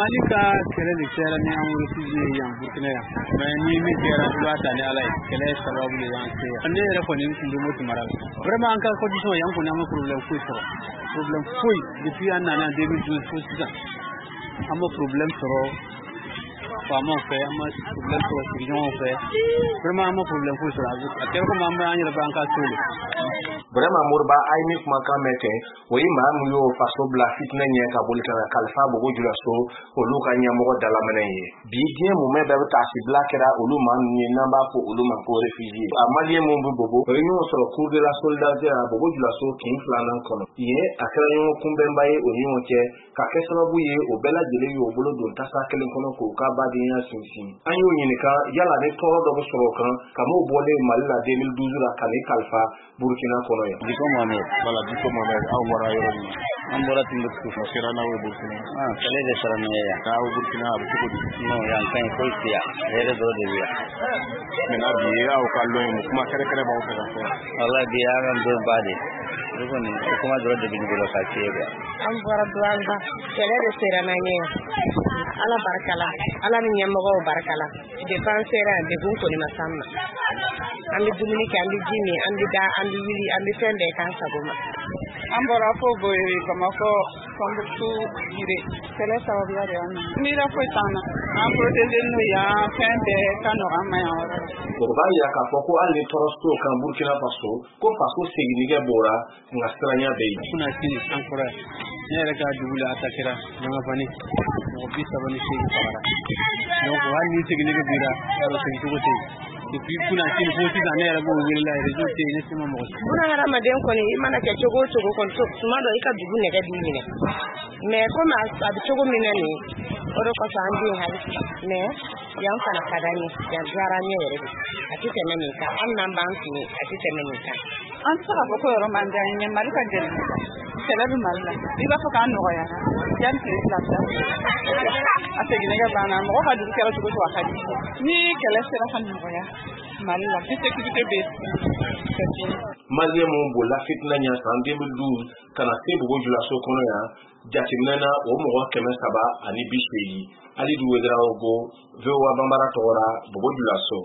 Mali ka kɛlɛ de kɛra ni an réfugié yan Burkina yan. Mais ni min kɛra, i b'a ta ni Ala ye. Kɛlɛ sababu de y'an se yan. Ne yɛrɛ kɔni tun bɛ Moti mara la. Vraiment, an ka condition yan kɔni, an ma problème foyi sɔrɔ. Problème foyi depuis an nana en 2012 fo sisan. An ma problème sɔrɔ faamaw fɛ, an ma problème sɔrɔ sigiɲɔgɔnw fɛ. Vraiment, an ma problème foyi sɔrɔ. A kɛra komi an bɛ an yɛrɛ bɛ an ka so de. Vraiment, Moriba, a ye min kumakan mɛn ten, o ye maa min y'o faso bila fitinɛ ɲɛ ka boli ka na kalifa Bobo Julaso, olu ka ɲɛmɔgɔ dalaminɛ ye. Bi diɲɛ mumɛ bɛɛ bɛ taasibila kɛra olu maa ninnu ye, n'an b'a fɔ olu ma ko réfugié. A Malien mun bɛ Bobo, o ye ɲɔgɔn sɔrɔ cour de la solidarité la Bobo Julaso kin filanan kɔnɔ yen. A kɛra ɲɔgɔn kunbɛnba ye o ni ɲɔgɔn cɛ, ka kɛ sababu ye o bɛɛ lajɛlen y'o bolo don tasa kelen kɔnɔ k'o ka badenya sinsin. An y'o ɲininka yala ni tɔɔrɔ dɔ bɛ sɔrɔ o kan ka m'o bɔlen Mali la 2012 la ka n'i kalifa Burkina kɔnɔ yan. Diko Mohamed. Voilà, Diko Mohamed, aw bɔra yɔrɔ min? An bɔra Timbuktu. O sera n'aw ye Burkina? Ah, kɛlɛ de sera n'an ye yan. Aw Burkina, a bɛ cogo di? Non, yan ka ɲi, foyi tɛ yan. Hɛrɛ dɔrɔn de bɛ yan. Maintenant, bi ye aw ka lon ye, mun kuma kɛrɛnkɛrɛn b'aw fɛ ka fɔ? Walahi, bi y'an ka don ba de. O kɔni, o kuma dɔrɔn de bɛ ne bolo ka f'i ye quoi. An bɔra Douentza. Kɛlɛ de sera n'an ye yan. Ala barika la, Ala ni ɲɛmɔgɔw barika la. Depuis an sera yan, degun kɔni ma s'an ma. An bɛ dumuni kɛ, an bɛ ji min, an bɛ da, an bɛ wuli, an bɛ fɛn bɛɛ k'an sago ma. An bɔra fo Boye, Bamakɔ, Tombouctou, Giré. Kɛlɛ sababuya de y'an na. Miira foyi t'an na. An protégé n'o yan, fɛn bɛɛ ka nɔgɔ an ma yan yɔrɔ la. O b'a yira k'a fɔ ko hali ni tɔɔrɔ t'o kan Burkina Faso, ko faso seginnikɛ bɔra, nka siranya bɛ yen. Kunasini an kɔrɔ yan. Ne yɛrɛ ka dugu la, attaquera Ɲangafani. Mɔgɔ 38 fagara. Donc hali ni seginni bira, yarɔ segin cogo tɛ yen. Depuis kunasini fo sisan, ne yɛrɛ b'o wele la, réseau tɛ yen, ne se ma mɔgɔ si. Buna hadamaden kɔni, i mana kɛ cogo o cogo kɔni, tuma dɔ i ka dugu nɛgɛ b'i minɛ. Mais komi a bɛ cogo min na nin, o de kosɔn an den hali sisan. Mais yan fana ka d'an ye, yan diyara an ye yɛrɛ de. A tɛ tɛmɛ nin kan, hali n'an b'an kun ye, a tɛ tɛmɛ nin kan. An tɛ se k'a fɔ ko yɔrɔ man di an ye. Mali ka gɛlɛn, kɛlɛ bɛ Mali la. I b'a fɔ k'an nɔgɔyara yanni tile 2 cɛ, a seginnɛgɛ banna. Mɔgɔ ka dugu kɛra cogo cogo, a ka di ni kɛlɛ sera ka nɔgɔya Mali la, ni sécurité bɛ yen, c'est fini. Malien mun bolila fitinɛ ɲɛ san 2012 ka na se Bobo Julaso kɔnɔ yan, jateminɛ na, o mɔgɔ 380. Alidu Wedarawogo, VOA Banbara tɔgɔ la, Bobo Julaso.